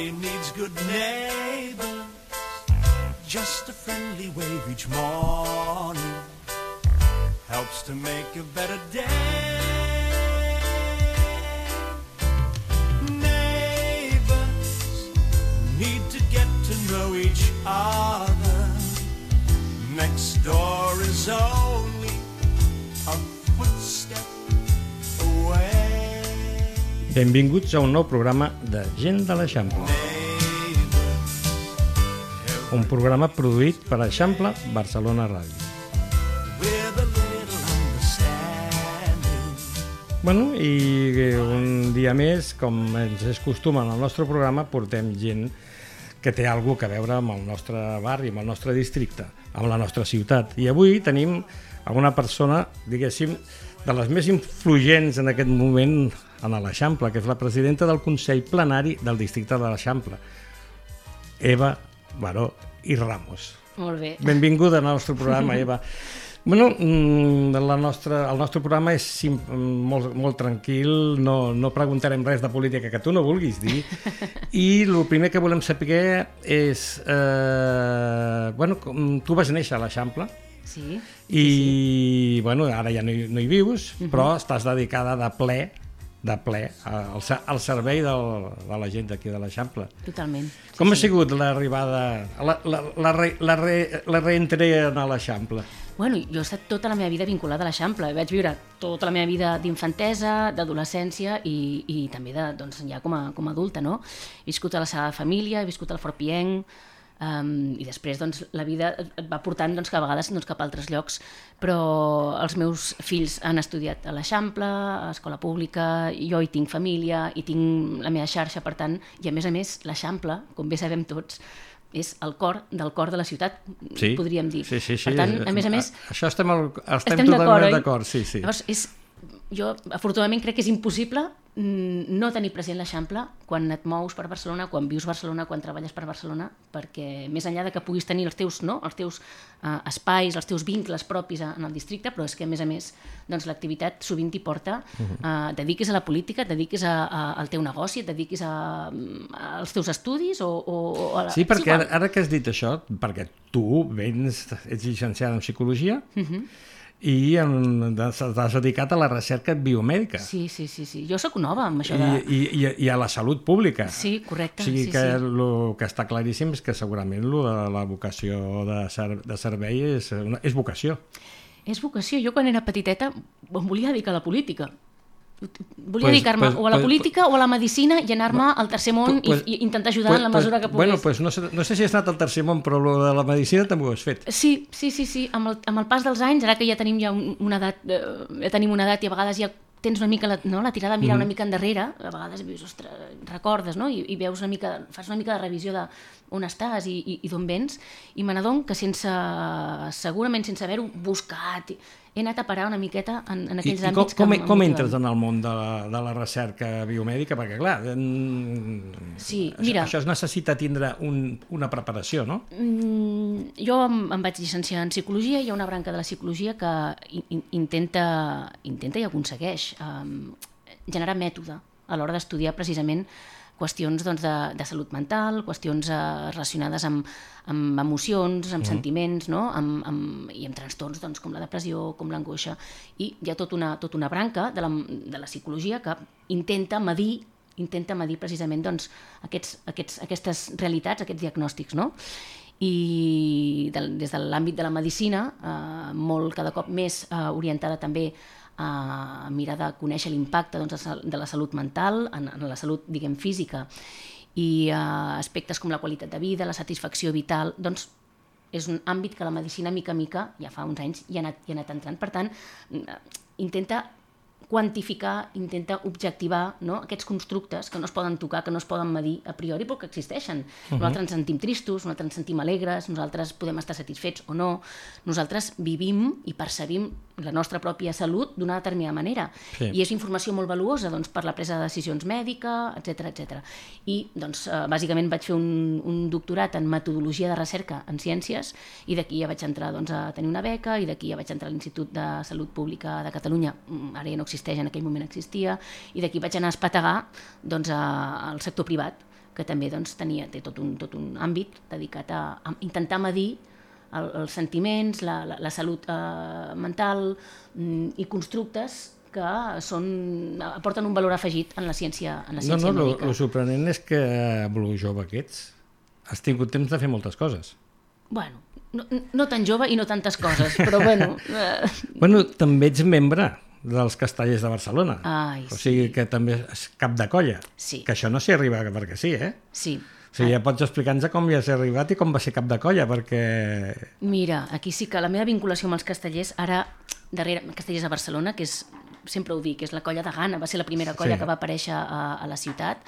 Everybody needs good neighbors. Just a friendly wave each morning helps to make a better day. Neighbors need to get to know each other. Next door is only a footstep away. Benvinguts a un nou programa de Gent de l'Eixample. Un programa produït per Eixample Barcelona Ràdio. Bueno, i un dia més, com ens és costum en el nostre programa, portem gent que té alguna cosa a veure amb el nostre barri, amb el nostre districte, amb la nostra ciutat. I avui tenim una persona, diguéssim, de les més influents en aquest moment en l'Eixample, que és la presidenta del Consell Plenari del districte de l'Eixample, Eva Baró i Ramos. Molt bé. Benvinguda al nostre programa, Eva. Bueno, el nostre programa és molt tranquil, no preguntarem res de política que tu no vulguis dir, i el primer que volem saber és... Bueno, tu vas néixer a l'Eixample, sí, i sí. Bueno, ara ja no hi vius, però estàs dedicada de ple al servei de la gent d'aquí de l'Eixample. Totalment. Com ha sigut l'arribada, la reentrada a l'Eixample? Bueno, jo he estat tota la meva vida vinculada a l'Eixample. Vaig viure tota la meva vida d'infantesa, d'adolescència i també doncs, ja com a adulta, no? He viscut a la Sagrada Família, he viscut al Fort Pienc, i després doncs, la vida et va portant doncs, que a vegades cap a altres llocs, però els meus fills han estudiat a l'Eixample, a escola pública, jo hi tinc família, hi tinc la meva xarxa, per tant, i a més l'Eixample, com bé sabem tots, és el cor de la ciutat, sí, podríem dir. Sí. Per tant, a més... Això estem totalment d'acord, sí. Llavors, jo afortunadament crec que és impossible no tenir present l'Eixample quan et mous per Barcelona, quan vius a Barcelona, quan treballes per Barcelona, perquè més enllà de que puguis tenir els teus espais, els teus vincles propis en el districte, però és que a més doncs, l'activitat sovint t'hi porta, dediquis a la política, et dediquis al teu negoci, et dediquis als teus estudis Sí, perquè ara que has dit això, perquè tu ets llicenciada en Psicologia, i t'has dedicat a la recerca biomèdica. Sí. Jo sóc nova amb això de... I a la salut pública. Sí, correcte. O sigui que el que està claríssim és que segurament la vocació de servei és vocació. És vocació. Jo quan era petiteta em volia dedicar a la política. Volia dedicar-me o a la política o a la medicina i anar-me al tercer món i intentar ajudar en la mesura que pogués. Bueno, no sé si has anat al tercer món, però de la medicina també ho has fet. Sí. Amb el pas dels anys, ara que ja tenim una edat, i a vegades ja tens una mica la tirada a mirar una mica endarrere, a vegades dius, ostres, recordes, no? I veus fas una mica de revisió de on estàs i d'on vens, i me n'adono que segurament sense haver-ho buscat, he anat a parar una miqueta en aquells àmbits que com entres en el món de la recerca biomèdica? Perquè, clar, això es necessita tindre una preparació, no? Jo em vaig llicenciar en Psicologia, hi ha una branca de la Psicologia que intenta i aconsegueix generar mètode a l'hora d'estudiar precisament qüestions de salut mental, qüestions relacionades amb emocions, amb sentiments, no? I amb trastorns com la depressió, com l'angoixa. I hi ha tota una branca de la psicologia que intenta medir precisament aquestes realitats, aquests diagnòstics, no? I des de l'àmbit de la medicina, molt cada cop més orientada també a mirar de conèixer l'impacte de la salut mental en la salut, diguem, física, i aspectes com la qualitat de vida, la satisfacció vital, doncs és un àmbit que la medicina mica a mica, ja fa uns anys, hi ha anat entrant. Per tant, intenta quantificar, intenta objectivar, no? Aquests constructes que no es poden tocar, que no es poden medir a priori, però que existeixen. Nosaltres ens sentim tristos, nosaltres ens sentim alegres, nosaltres podem estar satisfets o no. Nosaltres vivim i percebim la nostra pròpia salut d'una determinada manera. Sí. I és informació molt valuosa per la presa de decisions mèdica, etc. I, bàsicament, vaig fer un doctorat en metodologia de recerca en ciències, i d'aquí ja vaig entrar a tenir una beca, i d'aquí ja vaig entrar a l'Institut de Salut Pública de Catalunya, ara ja no existeix, en aquell moment existia, i d'aquí vaig anar a espetegar al sector privat, que també doncs, té tot un àmbit dedicat a intentar medir els sentiments, la salut mental i constructes que aporten un valor afegit en la ciència mèdica. El sorprenent és que amb el jove que ets has tingut temps de fer moltes coses. Bueno, no tan jove i no tantes coses, però bueno... Bueno, també ets membre dels Castellers de Barcelona. Ai, o sigui que també és cap de colla. Sí. Que això no s'hi arriba perquè sí, eh? Sí. O sigui, ja pots explicar-nos com hi has arribat i com va ser cap de colla, perquè... Mira, aquí sí que la meva vinculació amb els castellers, ara, darrere Castellers de Barcelona, que és, sempre ho dic, és la colla de Gana, va ser la primera colla que va aparèixer a la ciutat,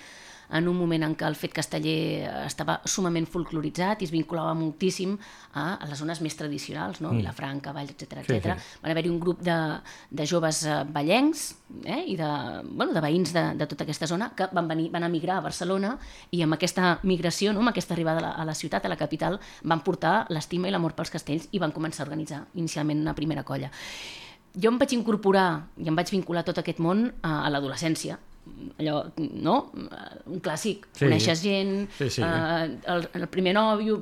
en un moment en què el fet casteller estava sumament folcloritzat i es vinculava moltíssim a les zones més tradicionals, no? Vilafranca, Valls, etc. Sí. Van haver-hi un grup de joves vallencs i de veïns de tota aquesta zona que van emigrar a Barcelona i amb aquesta migració, amb aquesta arribada a la ciutat, a la capital, van portar l'estima i l'amor pels castells i van començar a organitzar inicialment una primera colla. Jo em vaig incorporar i em vaig vincular a tot aquest món a l'adolescència, allò, no? Un clàssic, coneixes gent, el primer nòvio,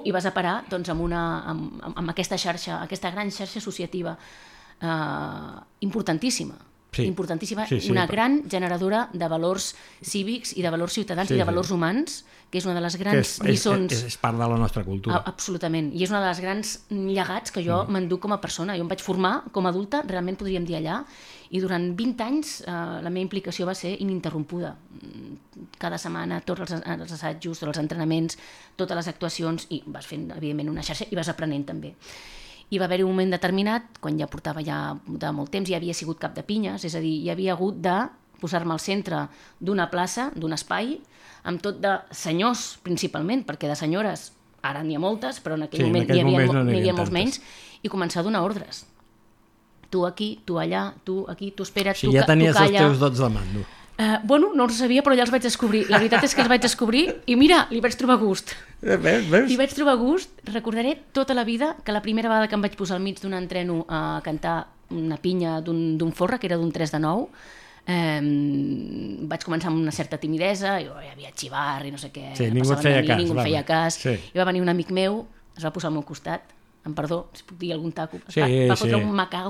i vas a parar doncs, amb aquesta xarxa, aquesta gran xarxa associativa importantíssima, una gran generadora de valors cívics i de valors ciutadans i de valors humans, que és una de les grans lliçons... És part de la nostra cultura. Absolutament, i és una de les grans llegats que jo m'enduc com a persona. Jo em vaig formar com a adulta, realment podríem dir allà, i durant 20 anys la meva implicació va ser ininterrompuda. Cada setmana, tots els assajos, tots els entrenaments, totes les actuacions, i vas fent, evidentment, una xarxa i vas aprenent també. I va haver-hi un moment determinat, quan ja portava de molt temps, ja havia sigut cap de pinyes, és a dir, ja havia hagut de posar-me al centre d'una plaça, d'un espai, amb tot de senyors, principalment, perquè de senyores ara n'hi ha moltes, però en aquell moment n'hi havia molts menys, i començar a donar ordres. Tu aquí, tu allà, tu aquí, tu espera't, tu calla. Si ja tenies els teus dots de mando. Bueno, no els sabia, però ja els vaig descobrir. La veritat és que els vaig descobrir i mira, li vaig trobar gust. Veus? Li vaig trobar gust. Recordaré tota la vida que la primera vegada que em vaig posar al mig d'un entreno a cantar una pinya d'un forra, que era d'un 3 de 9, vaig començar amb una certa timidesa, hi havia xivar i no sé què, ningú et feia cas, i va venir un amic meu, es va posar al meu costat, amb perdó, si puc dir algun taco, va fotre un macà,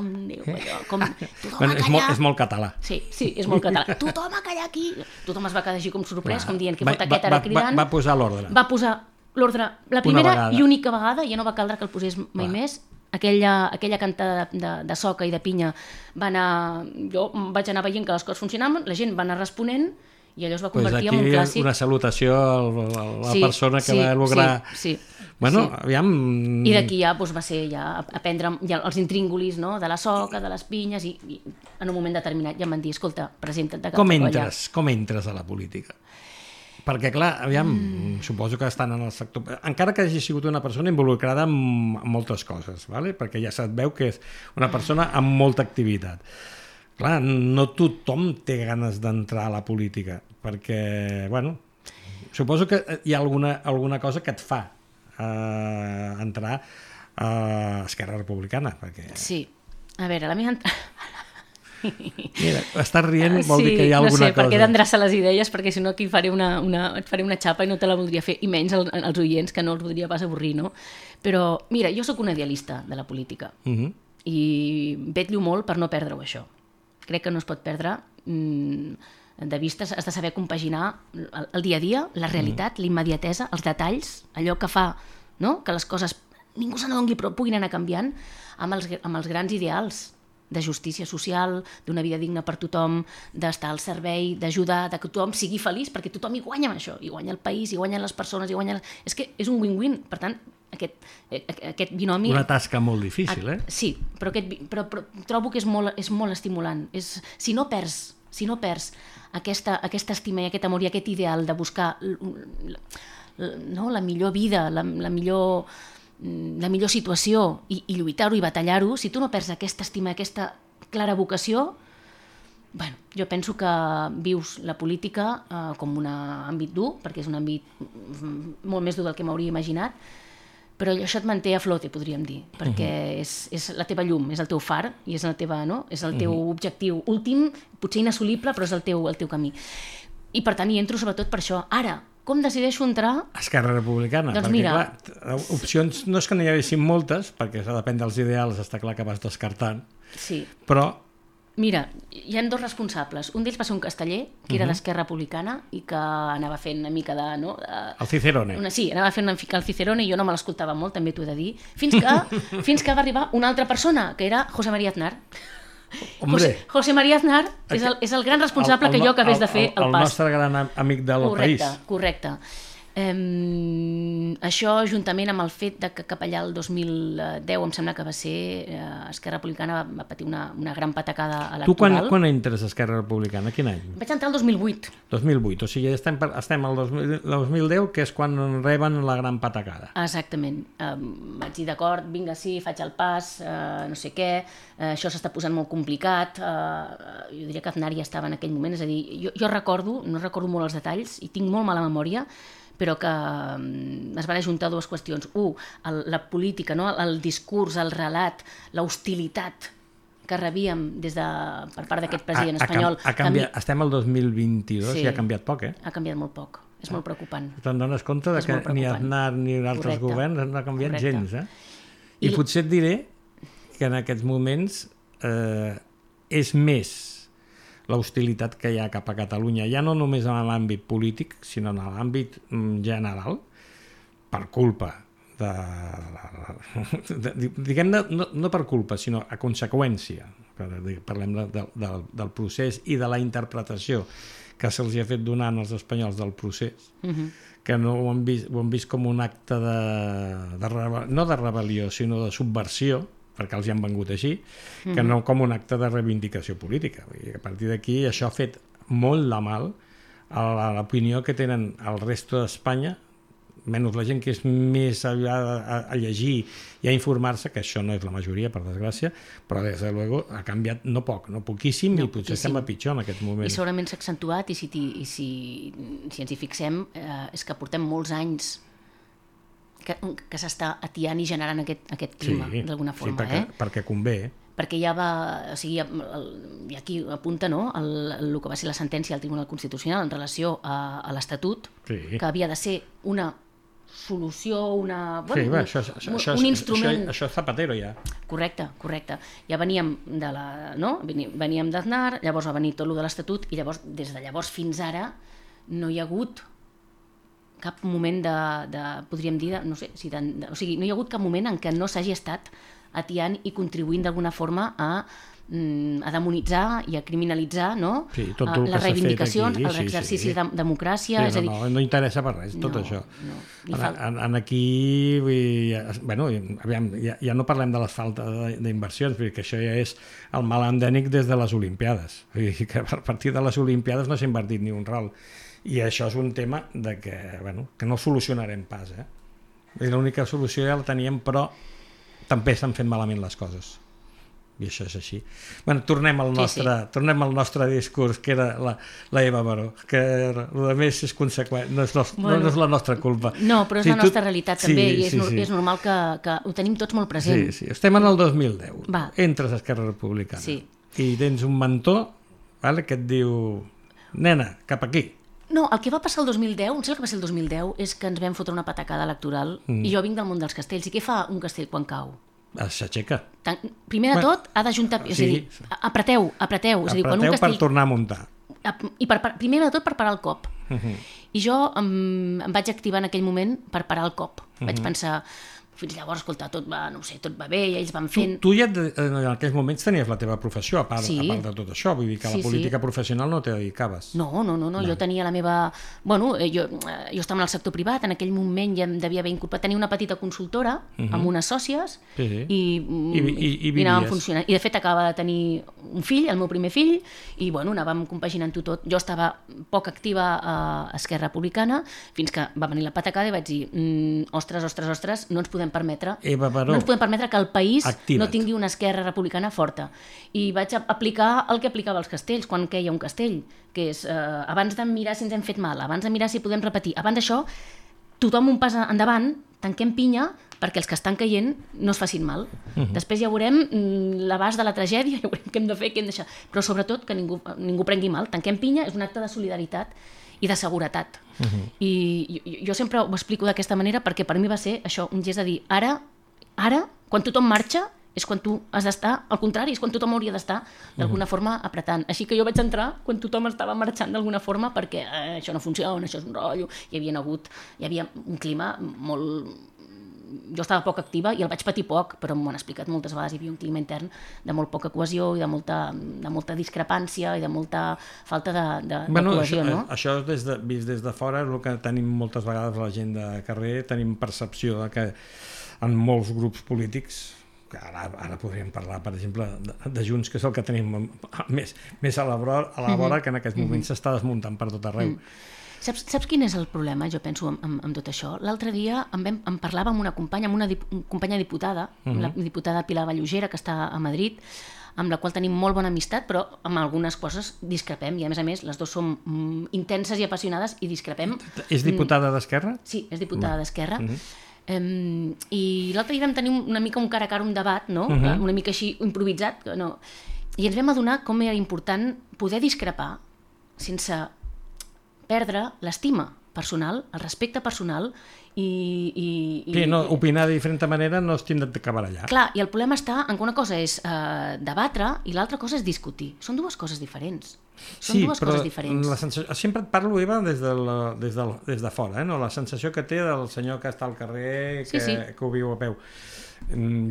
com tothom a callar. És molt català. Sí, és molt català. Tothom a callar aquí. Tothom es va quedar així com sorprès, com dient que fot aquest ara cridant. Va posar l'ordre. Va posar l'ordre la primera i única vegada, ja no va caldre que el posés mai més. Aquella cantada de soca i de pinya jo vaig anar veient que les coses funcionaven, la gent va anar responent i allò es va convertir en un clàssic. Una salutació a la persona que va lograr... Bueno, aviam... I d'aquí ja va ser aprendre els intríngulis de la soca, de les pinyes, i en un moment determinat ja em van dir, escolta, presenta't de cap de colla. Com entres a la política? Perquè, clar, aviam, suposo que estan en el sector... Encara que hagi sigut una persona involucrada en moltes coses, ¿vale? Perquè ja se't veu que és una persona amb molta activitat. Clar, no tothom té ganes d'entrar a la política, perquè, bueno, suposo que hi ha alguna cosa que et fa entrar a Esquerra Republicana. Perquè... Sí. A veure, la meva... Mira, estàs rient vol dir que hi ha alguna cosa. No sé, perquè he d'endreçar les idees, perquè si no aquí et faré una xapa i no te la voldria fer, i menys als oients, que no els voldria pas avorrir, no? Però, mira, jo sóc una idealista de la política i vetllo molt per no perdre-ho, això. Crec que no es pot perdre de vista, has de saber compaginar el dia a dia, la realitat, la immediatesa, els detalls, allò que fa que les coses ningú se n'adoni però puguin anar canviant amb els grans ideals de justícia social, d'una vida digna per tothom, d'estar al servei, d'ajudar, que tothom sigui feliç, perquè tothom hi guanya amb això, hi guanya el país, hi guanyen les persones, És que és un win-win, per tant, aquest binomi... Una tasca molt difícil, Sí, però trobo que és molt estimulant. Si no perds aquesta estima i aquest amor i aquest ideal de buscar la millor vida, la millor situació i lluitar-ho i batallar-ho, si tu no perds aquesta estima, aquesta clara vocació, bueno, jo penso que vius la política com un àmbit dur, perquè és un àmbit molt més dur del que m'hauria imaginat, però això et manté a flote, podríem dir, perquè és la teva llum, és el teu far i és el teu objectiu últim, potser inassolible, però és el teu camí. I per tant hi entro sobretot per això. Ara, com decideixo entrar? Esquerra Republicana. Doncs perquè, mira... clar, opcions no és que n'hi haguessin moltes, perquè depèn dels ideals, està clar que vas descartant, Sí. però... Mira, hi ha dos responsables. Un d'ells va ser un casteller, que era d'Esquerra Republicana, i que anava fent una mica de... No, El Cicerone. Sí, anava fent una mica el Cicerone, i jo no me l'escoltava molt, també t'ho he de dir, fins que va arribar una altra persona, que era José María Aznar. Hombre, José María Aznar és el gran responsable que jo acabés de fer el pas. El nostre gran amic del país. Correcte. Això, juntament amb el fet de que cap allà el 2010, em sembla que va ser, Esquerra Republicana va patir una gran patacada electoral. Tu quan entres a Esquerra Republicana? Quin any? Vaig entrar el 2008. 2008, o sigui, estem al 2010, que és quan reben la gran patacada. Exactament. Vaig dir, d'acord, vinga, sí, faig el pas, no sé què, això s'està posant molt complicat. Jo diria que Aznar ja estava en aquell moment, és a dir, jo recordo, no recordo molt els detalls, i tinc molt mala memòria, però que es van ajuntar dues qüestions. La política, no? El discurs, el relat, l'hostilitat que rebíem per part d'aquest president espanyol. Estem al 2022 i ha canviat poc, Ha canviat molt poc. És molt preocupant. Te'n dones compte que ni Aznar ni altres governs no ha canviat gens. I potser et diré que en aquests moments és més l'hostilitat que hi ha cap a Catalunya, ja no només en l'àmbit polític, sinó en l'àmbit general, per culpa diguem-ne, no per culpa, sinó a conseqüència, parlem del procés i de la interpretació que se'ls ha fet donar als espanyols del procés, que no ho han vist com un acte no de rebel·lió, sinó de subversió, perquè els hi han vengut així, que no com un acte de reivindicació política. I a partir d'aquí això ha fet molt de mal a l'opinió que tenen el resto d'Espanya, menys la gent que és més a llegir i a informar-se, que això no és la majoria, per desgràcia, però des de luego ha canviat no poc, no poquíssim, i potser estem a pitjor en aquest moment. I segurament s'ha accentuat, i si ens hi fixem, és que portem molts anys que s'està atiant i generant aquest clima, d'alguna forma. Perquè convé. Perquè ja va... O sigui, i aquí apunta, no?, el que va ser la sentència del Tribunal Constitucional en relació a l'Estatut, que havia de ser una solució, un instrument... Això és Zapatero, ja. Correcte. Ja veníem veníem d'Aznar, llavors va venir tot el de l'Estatut, i llavors, des de llavors fins ara, no hi ha hagut cap moment podríem dir, no sé, o sigui, no hi ha hagut cap moment en què no s'hagi estat atiant i contribuint d'alguna forma a demonitzar i a criminalitzar, no? Les reivindicacions, els exercicis de democràcia. No interessa per res, tot això. Aquí, ja no parlem de la falta d'inversions, perquè això ja és el mal endèmic des de les Olimpiades. Que a partir de les Olimpiades no s'ha invertit ni un ral. I això és un tema que no solucionarem pas. L'única solució ja la teníem, però també s'han fet malament les coses. I això és així. Tornem al nostre discurs, que era la Eva Baró, que el més és conseqüent, no és la nostra culpa. No, però és la nostra realitat també, i és normal que ho tenim tots molt present. Sí. Estem en el 2010. Entres a Esquerra Republicana i tens un mentor que et diu: nena, cap aquí. No, el que va passar el 2010, em sembla que va ser el 2010, és que ens vam fotre una patacada electoral, i jo vinc del món dels castells. I què fa un castell quan cau? S'aixeca. Primer de tot, ha d'ajuntar... És a dir, apreteu. Apreteu per tornar a muntar. I primer de tot per parar el cop. I jo em vaig activar en aquell moment per parar el cop. Vaig pensar... Fins llavors, escolta, tot va bé, i ells van fent... Tu ja en aquells moments tenies la teva professió, a part de tot això, vull dir que a la política professional no te dedicaves. No, jo tenia la meva... Bueno, jo estava en el sector privat, en aquell moment ja em devia haver incorporat, tenia una petita consultora amb unes sòcies, i anàvem funcionant. I de fet acabava de tenir un fill, el meu primer fill, i bueno, anàvem compaginant-ho tot. Jo estava poc activa a Esquerra Republicana, fins que va venir la patacada i vaig dir, ostres, no ens podem permetre que el país no tingui una Esquerra Republicana forta. I vaig aplicar el que aplicava als castells quan queia un castell, que és abans de mirar si ens hem fet mal, abans de mirar si podem repetir, abans d'això tothom un pas endavant, tanquem pinya perquè els que estan caient no es facin mal. Després ja veurem l'abast de la tragèdia, ja veurem què hem de fer, què hem de deixar, però sobretot que ningú prengui mal. Tanquem pinya, és un acte de solidaritat, i de seguretat. I jo sempre ho explico d'aquesta manera perquè per mi va ser això, un gest de dir ara, quan tothom marxa, és quan tu has d'estar, al contrari, és quan tothom hauria d'estar d'alguna forma apretant. Així que jo vaig entrar quan tothom estava marxant d'alguna forma perquè això no funciona, això és un rotllo, hi havia un clima molt... Jo estava poc activa i el vaig patir poc, però m'ho han explicat moltes vegades, hi havia un clima intern de molt poca cohesió i de molta discrepància i de molta falta de cohesió, no? Això vist des de fora és el que tenim moltes vegades la gent de carrer, tenim percepció de que en molts grups polítics, que ara podríem parlar, per exemple, de Junts, que és el que tenim més a la vora, que en aquests moments s'està desmuntant per tot arreu. Saps quin és el problema, jo penso, amb tot això? L'altre dia em parlava amb una companya diputada, la diputada Pilar Vallugera, que està a Madrid, amb la qual tenim molt bona amistat, però amb algunes coses discrepem, i a més, les dues som intenses i apassionades i discrepem. És diputada d'Esquerra? Sí, és diputada d'Esquerra. I l'altre dia vam tenir una mica un cara a cara, un debat, no? Una mica així improvisat, no? I ens vam adonar com era important poder discrepar sense perdre l'estima personal, el respecte personal Sí, opinar de diferent manera no es tindrà d'acabar allà. Clar, i el problema està en que una cosa és debatre i l'altra cosa és discutir. Són dues coses diferents. Sempre et parlo, Eva, des de fora, no? La sensació que té del senyor que està al carrer, que ho viu a peu.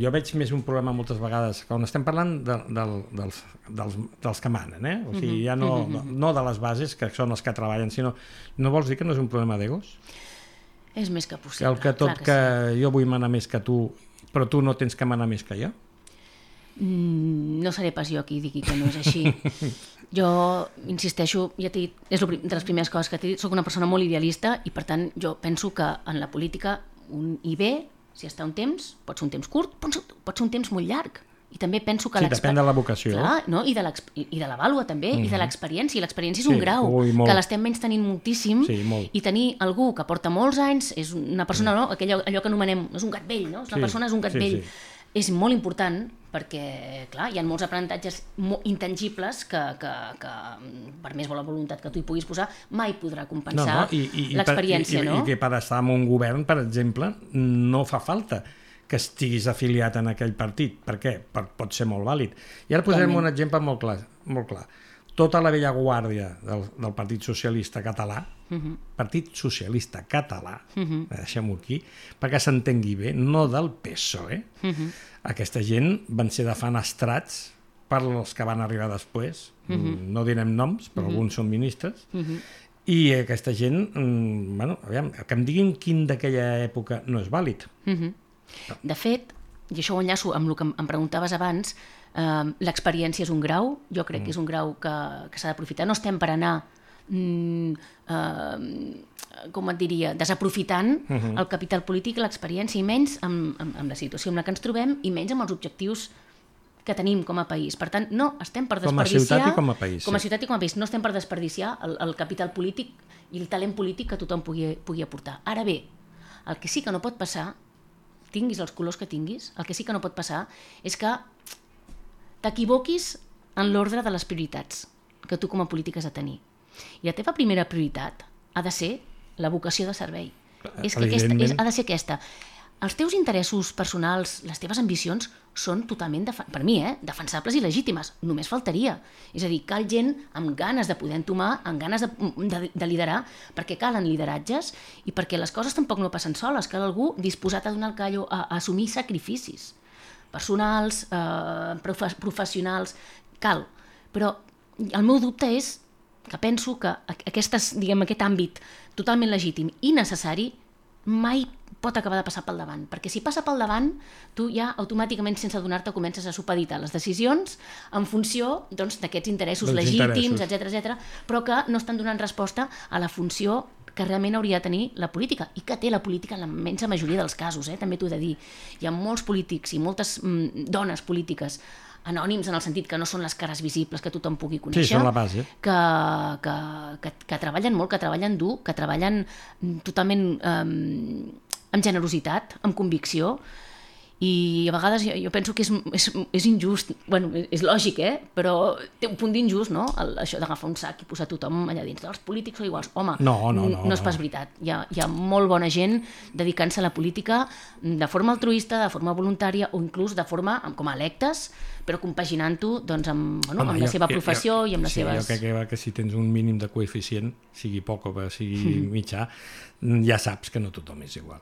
Jo veig més un problema moltes vegades quan estem parlant dels que manen, o sigui, ja no de les bases, que són els que treballen, sinó, no vols dir que no és un problema d'egos? És més que possible. Que jo vull manar més que tu, però tu no tens que manar més que jo? No seré pas jo qui digui que no és així. Jo insisteixo, ja t'he dit, és de les primeres coses que t'he dit, soc una persona molt idealista i per tant jo penso que en la política hi ve, si està un temps, pot ser un temps curt, pot ser un temps molt llarg. I també penso que depèn de la vocació. Clar, no? I de la vàlua també, i de l'experiència. I l'experiència és un grau, que l'estem menys tenint moltíssim, i tenir algú que porta molts anys, és una persona, no? Allò que anomenem, és un gat vell, no? Una persona és un gat vell. És molt important perquè, clar, hi ha molts aprenentatges intangibles que per més bona voluntat que tu hi puguis posar, mai podrà compensar l'experiència, no? I que per estar en un govern, per exemple, no fa falta que estiguis afiliat en aquell partit. Per què? Pot ser molt vàlid. I ara posarem un exemple molt clar. Tota la vella guàrdia del Partit Socialista Català, Partit Socialista Català, deixem-ho aquí, perquè s'entengui bé, no del PSOE. Aquesta gent van ser defenestrats per els que van arribar després, no direm noms, però alguns són ministres, i aquesta gent, que em diguin quin d'aquella època no és vàlid. De fet, i això ho enllaço amb el que em preguntaves abans, l'experiència és un grau, jo crec que és un grau que s'ha d'aprofitar. No estem per anar, com et diria, desaprofitant el capital polític i l'experiència, i menys amb la situació en la que ens trobem, i menys amb els objectius que tenim com a país. Per tant, no estem per desperdiciar... Com a ciutat i com a país. Com a ciutat i com a país. No estem per desperdiciar el capital polític i el talent polític que tothom pugui aportar. Ara bé, el que sí que no pot passar, tinguis els colors que tinguis, el que sí que no pot passar és que t'equivoquis en l'ordre de les prioritats que tu com a polític has de tenir. I la teva primera prioritat ha de ser la vocació de servei. Ha de ser aquesta. Els teus interessos personals, les teves ambicions, són totalment, per mi, defensables i legítimes. Només faltaria. És a dir, cal gent amb ganes de poder entomar, amb ganes de liderar, perquè calen lideratges i perquè les coses tampoc no passen soles. Cal algú disposat a donar el callo, a assumir sacrificis personals, professionals, cal. Però el meu dubte és que penso que aquest àmbit totalment legítim i necessari mai pot acabar de passar pel davant, perquè si passa pel davant, tu ja automàticament, sense adonar-te, comences a supeditar les decisions en funció d'aquests interessos legítims, etc., però que no estan donant resposta a la funció que realment hauria de tenir la política, i que té la política en la immensa majoria dels casos, també t'ho he de dir. Hi ha molts polítics i moltes dones polítiques anònims, en el sentit que no són les cares visibles que tothom pugui conèixer, sí, són la base, que treballen molt, que treballen dur, que treballen totalment amb generositat, amb convicció, I a vegades jo penso que és injust, bueno, és lògic, però té un punt d'injust, no? Això d'agafar un sac i posar tothom allà dins. Els polítics són iguals. Home, no és pas veritat. Hi ha molt bona gent dedicant-se a la política de forma altruista, de forma voluntària o inclús de forma com a electes, però compaginant-ho doncs, amb la seva professió i amb les seves... Jo crec que si tens un mínim de coeficient, sigui poc o sigui mitjà, ja saps que no tothom és igual.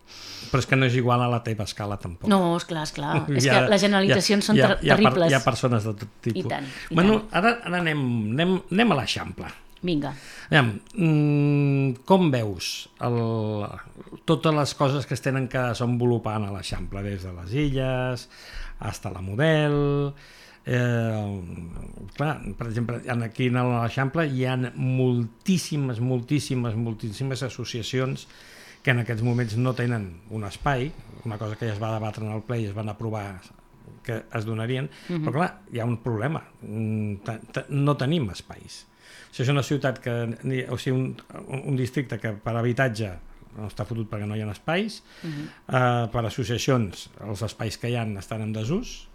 Però és que no és igual a la teva escala tampoc. No, esclar. És que les generalitzacions són terribles. Hi ha persones de tot tipus. I tant. Ara anem a l'Eixample. Vinga. Com veus totes les coses que es tenen que desenvolupar a l'Eixample, des de les illes, fins a la Model... clar, per exemple, aquí a l'Eixample hi ha moltíssimes associacions que en aquests moments no tenen un espai, una cosa que ja es va debatre en el ple i es van aprovar que es donarien, però clar, hi ha un problema, no tenim espais. Si és una ciutat un districte que per habitatge no està fotut perquè no hi ha espais, per associacions els espais que hi ha estan en desús,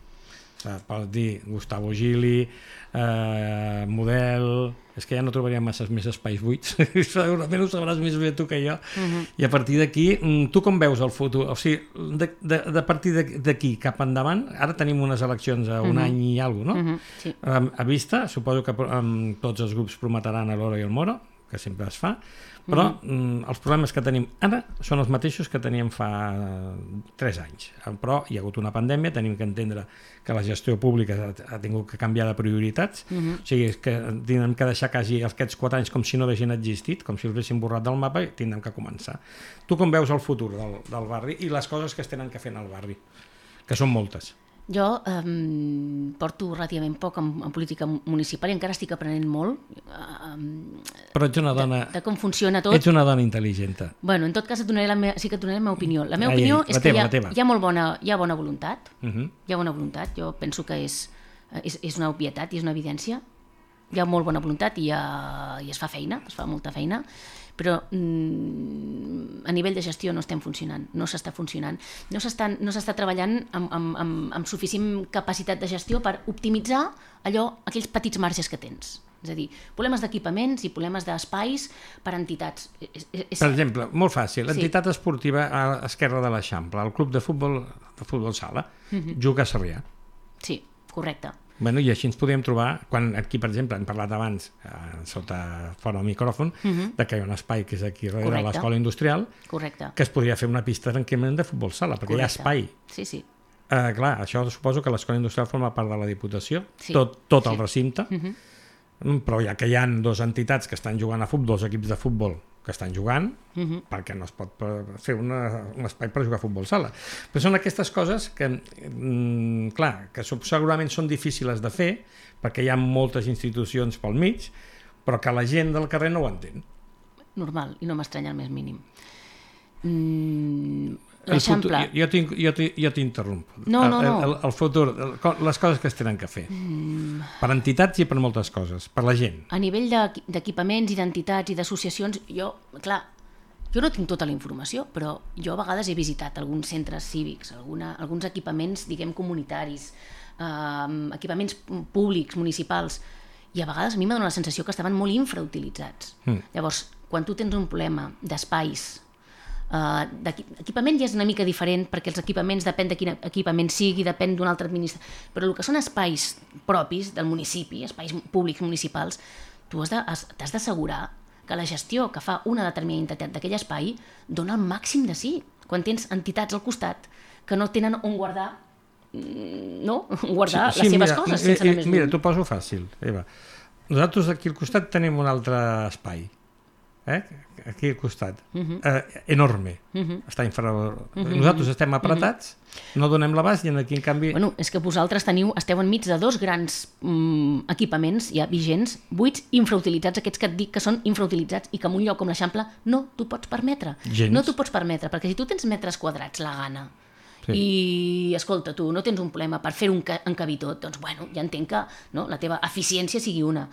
per dir Gustavo Gili, Model, és que ja no trobaria més espais buits, segurament ho sabràs més bé tu que jo, i a partir d'aquí, tu com veus el futur? O sigui, de partir d'aquí cap endavant, ara tenim unes eleccions a un any i alguna cosa, no? Sí. A vista, suposo que tots els grups prometran a l'Oro i el Moro, que sempre es fa, però els problemes que tenim ara són els mateixos que teníem fa 3 anys. Però hi ha hagut una pandèmia, tenim que entendre que la gestió pública ha tingut que canviar de prioritats, o sigui, que tindrem que deixar quasi aquests 4 anys com si no haguessin existit, com si els haguessin borrat del mapa, i tindrem que començar. Tu com veus el futur del barri i les coses que es tenen que fer en el barri, que són moltes? Jo porto relativament poc en política municipal i encara estic aprenent molt però ets una dona, de com funciona tot. Ets una dona intel·ligent. Bueno, en tot cas sí que et donaré la meva opinió. La meva opinió és que hi ha molt bona voluntat. Hi ha bona voluntat. Jo penso que és una obvietat i és una evidència. Hi ha molt bona voluntat i es fa feina, es fa molta feina, però a nivell de gestió no estem funcionant, no s'està funcionant, no s'està treballant amb suficient capacitat de gestió per optimitzar aquells petits marges que tens. És a dir, problemes d'equipaments i problemes d'espais per a entitats. Per exemple, molt fàcil, entitat esportiva a l'esquerra de l'Eixample, el club de futbol sala, juga a Sarrià. Sí, correcte. Bueno, i així ens podríem trobar, quan aquí, per exemple, hem parlat abans, fora del micròfon, de que hi ha un espai que és aquí darrere l'Escola Industrial, que es podria fer una pista tranquil·lament de futbol sala, perquè hi ha espai. Sí, sí. Clar, això suposo que l'Escola Industrial forma part de la Diputació, tot el recinte, però ja que hi ha 2 entitats que estan jugant a futbol, 2 equips de futbol que estan jugant, perquè no es pot fer un espai per jugar a futbol sala. Però són aquestes coses que, clar, que segurament són difícils de fer, perquè hi ha moltes institucions pel mig, però que la gent del carrer no ho entén. Normal, i no m'estranya el més mínim. L'Eixample... Jo t'interrompo. No. El futur, les coses que es tenen que fer. Per entitats i per moltes coses, per la gent. A nivell d'equipaments i d'entitats i d'associacions, jo no tinc tota la informació, però jo a vegades he visitat alguns centres cívics, alguns equipaments, diguem, comunitaris, equipaments públics, municipals, i a vegades a mi m'ha donat la sensació que estaven molt infrautilitzats. Llavors, quan tu tens un problema d'espais, d'equipament ja és una mica diferent, perquè els equipaments depèn de quin equipament sigui, depèn d'una altra administració, però el que són espais propis del municipi, espais públics municipals, tu t'has d'assegurar que la gestió que fa una determinada entitat d'aquell espai dona el màxim de sí, quan tens entitats al costat que no tenen on guardar les seves coses sense anar més lluny. Mira, t'ho poso fàcil, Eva. Nosaltres aquí al costat tenim un altre espai, aquí al costat, enorme, està nosaltres estem apretats, no donem l'abast i aquí en canvi... Bueno, és que vosaltres esteu enmig de 2 grans equipaments ja vigents, buits, infrautilitzats, aquests que et dic que són infrautilitzats i que en un lloc com l'Eixample no t'ho pots permetre. No t'ho pots permetre, perquè si tu tens metres quadrats la gana i, escolta, tu no tens un problema per fer un encabir tot, doncs, bueno, ja entenc que la teva eficiència sigui una.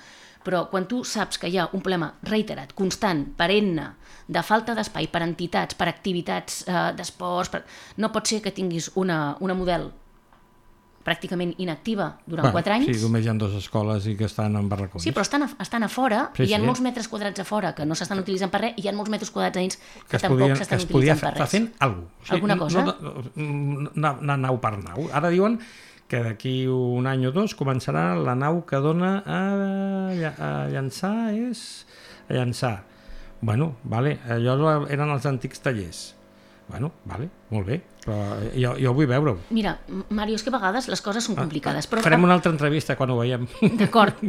però quan tu saps que hi ha un problema reiterat, constant, perenne, de falta d'espai per entitats, per activitats d'esports, no pot ser que tinguis una model pràcticament inactiva durant 4 anys. Sí, només hi ha 2 escoles i que estan en barracons. Sí, però estan a fora, hi ha molts metres quadrats a fora que no s'estan utilitzant per res, i hi ha molts metres quadrats a dins que tampoc s'estan utilitzant per res. Que es podia fent alguna cosa. Alguna cosa? Una nau per nau. Ara diuen que d'aquí un any o 2 començarà la nau que dona a llançar, a llançar. Bueno, vale, allò eren els antics tallers. Bueno, vale, molt bé, però jo vull veure-ho. Mira, Mario, és que a vegades les coses són complicades. Però... Farem una altra entrevista quan ho veiem. D'acord,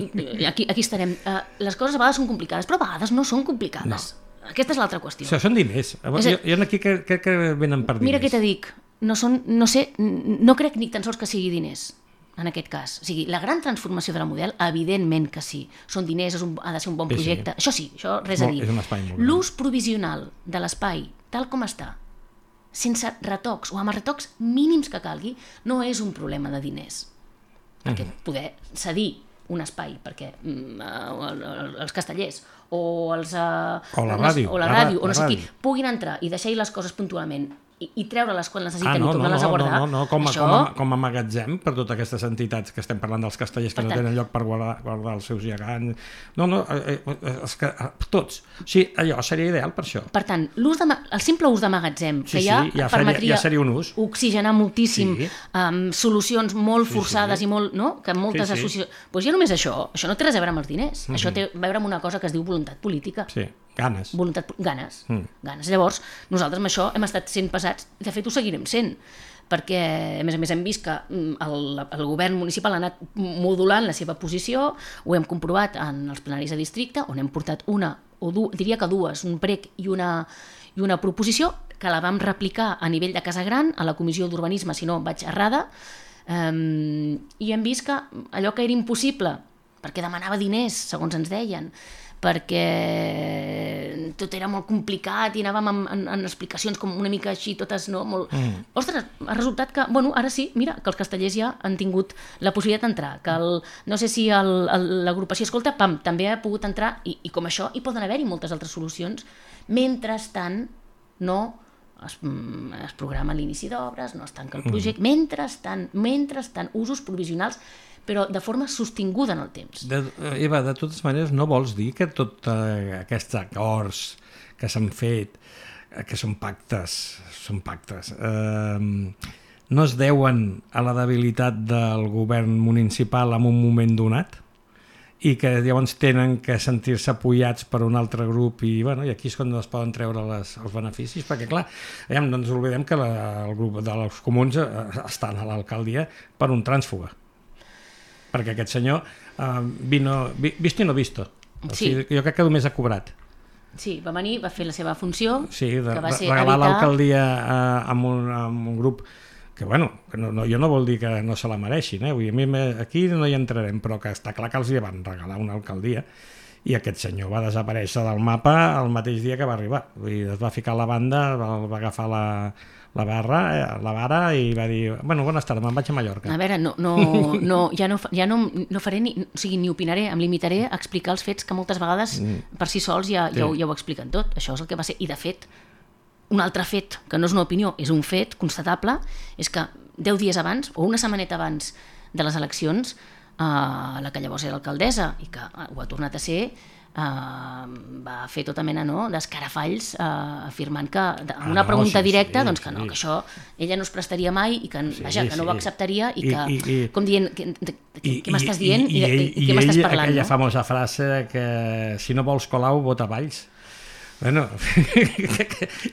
aquí estarem. Les coses a vegades són complicades, però a vegades no són complicades. No. Aquesta és l'altra qüestió. Això són diners. Jo aquí crec que venen per diners. Mira què te dic, no crec ni tan sols que sigui diners, en aquest cas. O sigui, la gran transformació de la model, evidentment que sí. Són diners, ha de ser un bon projecte. Sí. Això res a dir. És un espai molt gran. L'ús provisional de l'espai, tal com està, sense retocs o amb els retocs mínims que calgui, no és un problema de diners. Perquè poder cedir un espai perquè els castellers o la ràdio o no sé qui puguin entrar i deixar-hi les coses puntualment i treure les quan les necessiten i tornar-les a guardar. No, com a magatzem per totes aquestes entitats que estem parlant dels castellers que no tenen lloc per guardar els seus gegants. Tots. Sí, allò seria ideal per això. Per tant, el simple ús de magatzem que ja permetria oxigenar moltíssim solucions molt forçades i molt, no? Que moltes associacions... Doncs ja només això no té res a veure amb els diners. Això té a veure amb una cosa que es diu voluntat política. Sí. Ganes. Ganes. Llavors, nosaltres amb això hem estat sent pesats, de fet ho seguirem sent, perquè a més hem vist que el govern municipal ha anat modulant la seva posició, ho hem comprovat en els plenaris de districte, on hem portat diria que dues, un prec i una proposició, que la vam replicar a nivell de Casa Gran, a la comissió d'urbanisme, si no vaig errada, i hem vist que allò que era impossible, perquè demanava diners, segons ens deien, perquè tot era molt complicat i anàvem en explicacions com una mica així, totes, no? Ostres, ha resultat que, ara sí, mira, que els castellers ja han tingut la possibilitat d'entrar, que no sé si l'agrupació Escolta, també ha pogut entrar, i com això hi poden haver-hi moltes altres solucions, mentrestant no es programa l'inici d'obres, no es tanca el projecte, mentrestant, usos provisionals, però de forma sostinguda en el temps. Eva, de totes maneres, no vols dir que tots aquests acords que s'han fet, que són pactes, no es deuen a la debilitat del govern municipal en un moment donat? I que llavors tenen que sentir-se apoyats per un altre grup i aquí és quan es poden treure els beneficis, perquè clar, no ens oblidem que el grup dels comuns estan a l'alcaldia per un trànsfuga, perquè aquest senyor visto i no visto, jo crec que només ha cobrat. Sí, va venir, va fer la seva funció, que va ser regalar l'alcaldia amb un grup que jo no vol dir que no se la mereixin, vull dir, aquí no hi entrarem, però que està clar que els hi van regalar una alcaldia i aquest senyor va desaparèixer del mapa el mateix dia que va arribar. Vull dir, es va ficar a la banda, va agafar la vara i va dir, bones tardes, me'n vaig a Mallorca. A veure, ja no faré ni opinaré, em limitaré a explicar els fets que moltes vegades per si sols ja ho expliquen tot. Això és el que va ser, i de fet, un altre fet, que no és una opinió, és un fet constatable, és que 10 dies abans, o una setmaneta abans de les eleccions, la que llavors era alcaldessa, i que ho ha tornat a ser, va fer tota mena d'escarafalls afirmant que una pregunta directa, doncs que no, que això ella no es prestaria mai i que no ho acceptaria i que, com dient, què m'estàs dient i què m'estàs parlant? Aquella famosa frase que si no vols Colau, vota Valls.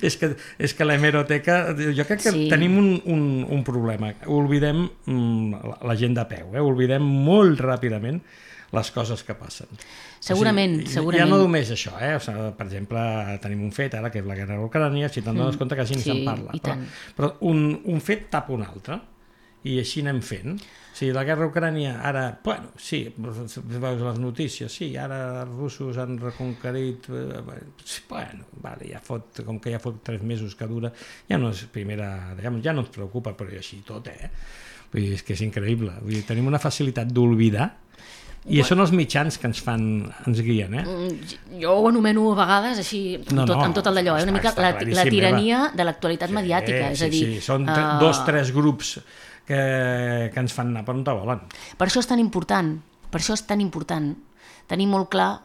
És que l'hemeroteca, jo crec que tenim un problema, oblidem la gent de peu, oblidem molt ràpidament les coses que passen. Segurament. Ja no només això, per exemple, tenim un fet ara que és la guerra a Ucrània, si te'n dones compte que així se'n parla, però un fet tapa un altre i així anem fent. Sí, la guerra a Ucrània, ara, sí, veus les notícies, sí, ara els russos han reconquerit, com que ja fot 3 mesos que dura, ja no és primera, ja no ens preocupa, però així tot, Vull dir, és que és increïble. Vull dir, tenim una facilitat d'oblidar I són els mitjans que ens guien, Jo ho anomeno a vegades així, amb tot el d'allò, una mica la tirania de l'actualitat mediàtica. És a dir, són 2-3 grups que ens fan anar per on te volen. Per això és tan important, tenir molt clar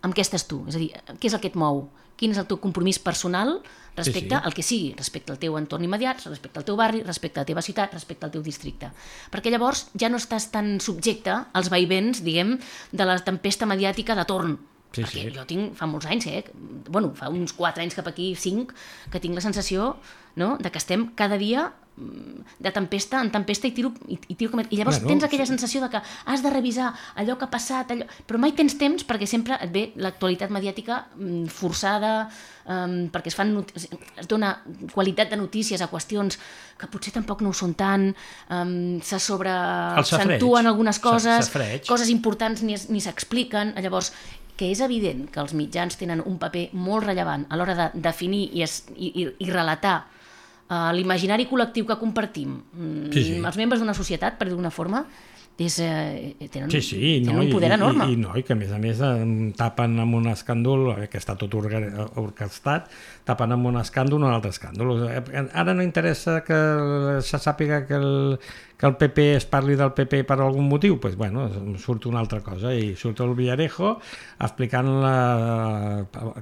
amb què estàs tu, és a dir, què és el que et mou, quin és el teu compromís personal respecte al que sigui, respecte al teu entorn immediat, respecte al teu barri, respecte a la teva ciutat, respecte al teu districte. Perquè llavors ja no estàs tan subjecte als vaivens, diguem, de la tempesta mediàtica de torn. Perquè jo tinc, fa molts anys, fa uns 4 anys cap aquí, 5, que tinc la sensació de que estem cada dia de tempesta en tempesta i llavors tens aquella sensació de que has de revisar allò que ha passat, però mai tens temps perquè sempre et ve l'actualitat mediàtica forçada, perquè es dona qualitat de notícies a qüestions que potser tampoc no ho són tant, se sobreacentuen algunes coses, coses importants ni s'expliquen. Llavors, que és evident que els mitjans tenen un paper molt rellevant a l'hora de definir i relatar l'imaginari col·lectiu que compartim, els membres d'una societat, per dir d'una forma, tenen un poder enorme. I que a més tapen amb un escàndol, que està tot orquestat, tapen amb un escàndol un altre escàndol. Ara no interessa que se sàpiga que el PP es parli del PP per algun motiu, doncs surt una altra cosa i surt el Villarejo explicant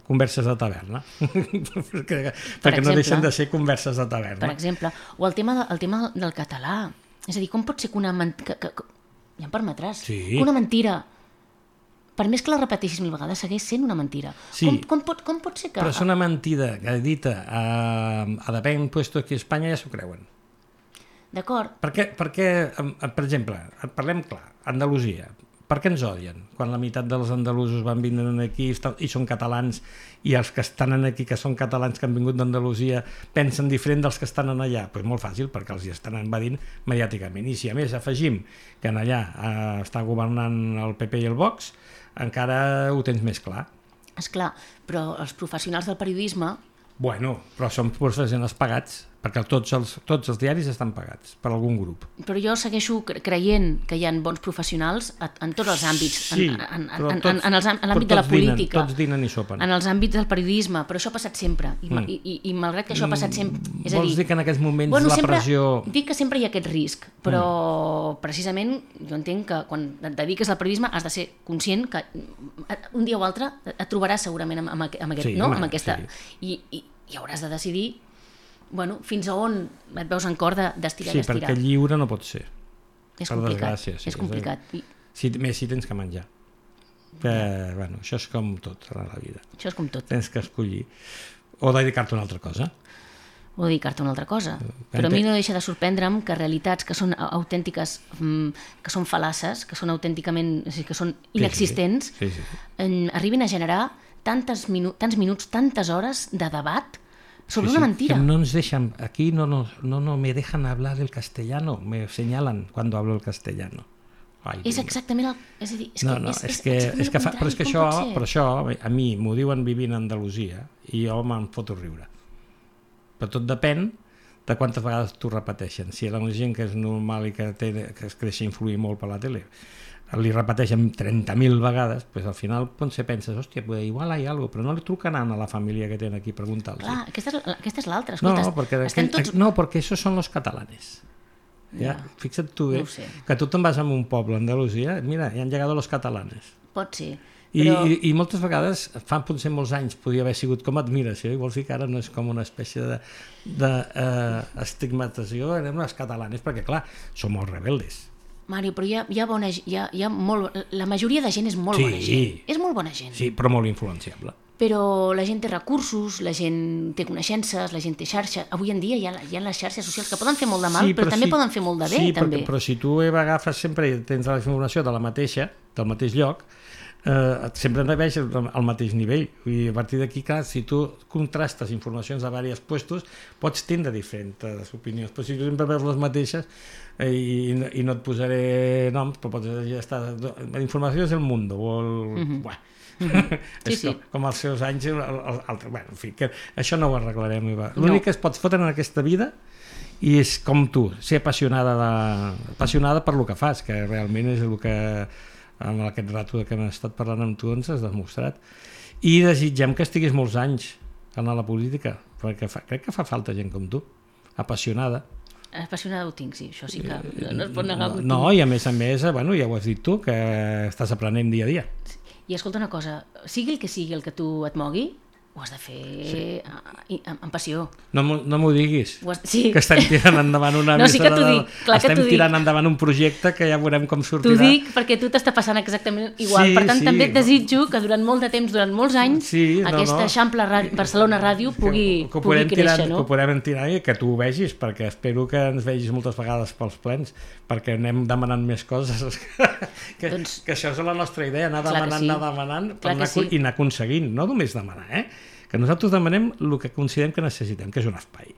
converses de taverna. perquè no deixen de ser converses de taverna. Per exemple, o el tema del català. És a dir, com pot ser que una mentira... Ja em permetràs. Que una mentira, per més que la repeteixis 1000 vegades, segueix sent una mentira. Com pot ser que... Però és una mentida que dita a depèn puesto aquí a Espanya ja s'ho creuen. D'acord. Perquè, per exemple, parlem clar, Andalusia, per què ens odien? Quan la meitat dels andalusos van vindre aquí i són catalans, i els que estan aquí, que són catalans que han vingut d'Andalusia, pensen diferent dels que estan allà? Doncs molt fàcil, perquè els hi estan envadint mediàticament. I si a més afegim que allà està governant el PP i el Vox, encara ho tens més clar. Esclar, però els professionals del periodisme... Però són professionals pagats, perquè tots els diaris estan pagats per algun grup. Però jo segueixo creient que hi ha bons professionals en tots els àmbits, en l'àmbit de la política, tots dinen i sopen, en els àmbits del periodisme, però això ha passat sempre, i malgrat que això ha passat sempre... Vols dir que en aquests moments la pressió... Dic que sempre hi ha aquest risc, però precisament jo entenc que quan et dediques al periodisme has de ser conscient que un dia o altre et trobaràs segurament amb aquesta... I hauràs de decidir fins a on et veus en cor d'estirar i estirar. Sí, perquè lliure no pot ser. És complicat. És complicat. Més si tens que menjar. Això és com tot a la vida. Això és com tot. Tens que escollir. O dedicar-te a una altra cosa. Però a mi no deixa de sorprendre'm que realitats que són autèntiques, que són fal·laces, que són autènticament, que són inexistents, arribin a generar tants minuts, tantes hores de debat sobre una mentira. Que no ens deixen, aquí no me dejan hablar el castellano, me señalan cuando hablo el castellano. És exactament el... És a dir, però és que això a mi m'ho diuen vivint a Andalusia i jo me'n foto riure. Però tot depèn de quantes vegades t'ho repeteixen. Si la gent que és normal i que es deixa influir molt per la tele li repeteixen 30.000 vegades, doncs al final potser penses, hòstia, igual hi ha alguna cosa, però no li truquen a la família que tenen aquí a preguntar-los. Clar, aquesta és l'altra. No, perquè esos son los catalanes. Fixa't tu, que tu te'n vas a un poble a Andalusia, mira, hi han llegado los catalanes. Pot ser. I moltes vegades, fa potser molts anys, podia haver sigut com admiració, i vols dir que ara no és com una espècie d'estigmatització, anem els catalanes, perquè clar, són molt rebeldes. Mario, però hi ha molt... La majoria de gent és molt bona gent. És molt bona gent. Sí, però molt influenciable. Però la gent té recursos, la gent té coneixences, la gent té xarxa. Avui en dia hi ha les xarxes socials que poden fer molt de mal, però també poden fer molt de bé. Sí, però si tu agafes sempre i tens la informació del mateix lloc, sempre no veig al mateix nivell. I a partir d'aquí, clar, si tu contrastes informacions de diversos puestos, pots tindre diferents opinions, però si tu sempre veus les mateixes, i no et posaré noms, però pots estar... La informació és el Mundo, o el... Com als seus anys, en fi, que això no ho arreglarem. L'únic que es pot fotre en aquesta vida i és com tu, ser apassionada per lo que fas, que realment és el que amb aquest rato que hem estat parlant amb tu ens has demostrat, i desitgem que estiguis molts anys a la política, perquè crec que fa falta gent com tu, apassionada. Apassionada ho tinc, sí, això sí que no es pot negar. No, i a més, bueno, ja ho has dit tu, que estàs aprenent dia a dia. I escolta una cosa, sigui el que tu et mogui, ho has de fer amb passió. No m'ho diguis, sí. Que estem tirant endavant una no, sí que t'ho dic, clar que estem tirant endavant un projecte que ja veurem com sortirà. T'ho dic perquè tu t'està passant exactament igual, per tant també et desitjo que durant molt de temps, durant molts anys, aquesta Eixample Barcelona Ràdio pugui créixer, no? Que ho podem tirar i que tu ho vegis, perquè espero que ens vegis moltes vegades pels plens, perquè anem demanant més coses, que això és la nostra idea, anar demanant i anar aconseguint, no només demanar, que nosaltres demanem el que considerem que necessitem, que és un espai.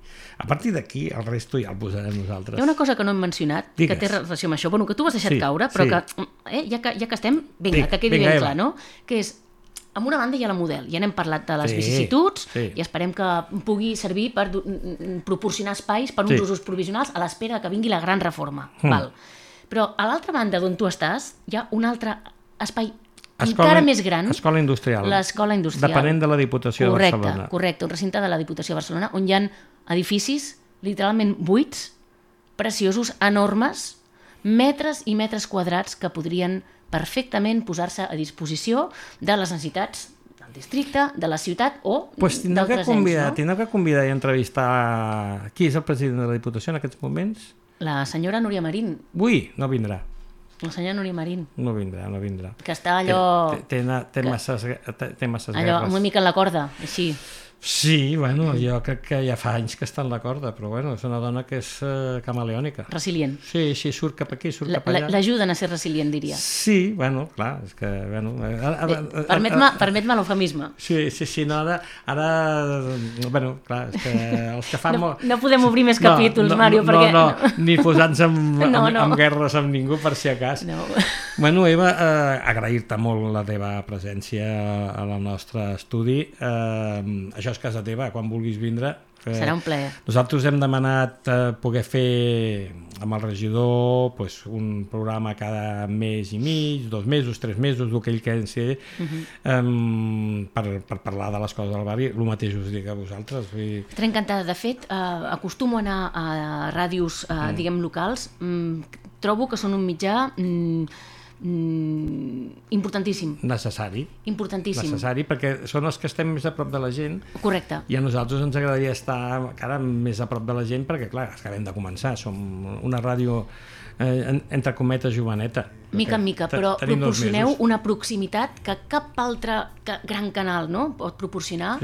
A partir d'aquí, el resto ja el posarem nosaltres. Hi ha una cosa que no hem mencionat, que té relació amb això, que tu has deixat caure, però que ja que estem, vinga, que quedi ben clar, no? Que és, amb una banda hi ha la Model, ja n'hem parlat de les vicissituds, i esperem que pugui servir per proporcionar espais per uns usos provisionals a l'espera que vingui la gran reforma. Però a l'altra banda d'on tu estàs, hi ha un altre espai encara més gran, l'escola industrial, depenent de la Diputació de Barcelona. Correcte, un recinte de la Diputació de Barcelona on hi ha edificis literalment buits, preciosos, enormes, metres i metres quadrats que podrien perfectament posar-se a disposició de les necessitats del districte, de la ciutat o d'altres ens. Tindrem que convidar i entrevistar qui és el president de la Diputació en aquests moments? La senyora Núria Marín. Ui, no vindrà. La senyora Núria Marín. No vindrà. Que està allò... Té masses guerres. Allò una mica en la corda, així. Sí, bueno, jo crec que ja fa anys que està en la corda, però bueno, és una dona que és camaleònica. Resilient. Sí, surt cap aquí, surt cap allà. L'ajuden a ser resilient, diria. Sí, bueno, clar, és que... Permet-me l'eufemisme. Sí, no, ara... Bueno, clar, és que els que fan molt... No podem obrir més capítols, Mario, perquè... No, ni posar-nos en guerres amb ningú, per si acas. Bueno, Eva, agrair-te molt la teva presència al nostre estudi. Això és casa teva, quan vulguis vindre. Serà un plaer. Nosaltres hem demanat poder fer amb el regidor un programa cada mes i mig, 2 mesos, 3 mesos, el que ell consideri, per parlar de les coses del barri. El mateix us dic a vosaltres. Estaré encantada. De fet, acostumo a anar a ràdios, diguem, locals. Trobo que són un mitjà importantíssim. Necessari, perquè són els que estem més a prop de la gent. Correcte. I a nosaltres ens agradaria estar encara més a prop de la gent perquè, clar, acabem de començar. Som una ràdio, entre cometes, joveneta. Mica en mica, però proporcioneu una proximitat que cap altre gran canal pot proporcionar.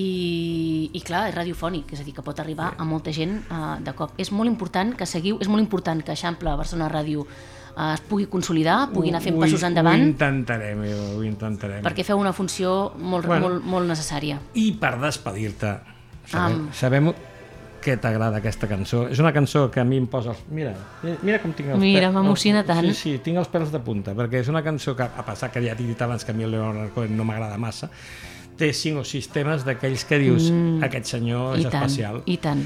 I clar, és radiofònic, és a dir, que pot arribar a molta gent de cop. És molt important que seguiu, és molt important que Eixample Barcelona Ràdio es pugui consolidar, pugui anar fent passos endavant. Ho intentarem. Perquè feu una funció molt necessària. I per despedir-te, sabem que t'agrada aquesta cançó. És una cançó que a mi em posa... Mira com tinc els pèls. Mira, m'emociona tant. Sí, tinc els pèls de punta, perquè és una cançó que, a passar que ja t'he dit abans que a mi el Leonard Cohen no m'agrada massa, té 5 o 6 temes d'aquells que dius aquest senyor és especial. I tant.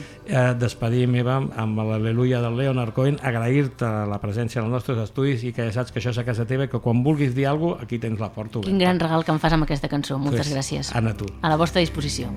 Despedim, Eva, amb l'Al·leluia del Leonard Cohen, agrair-te la presència als nostres estudis i que ja saps que això és a casa teva i que quan vulguis dir alguna cosa, aquí tens la porta oberta. Quin gran regal que em fas amb aquesta cançó. Moltes gràcies. Anna, tu. A la vostra disposició.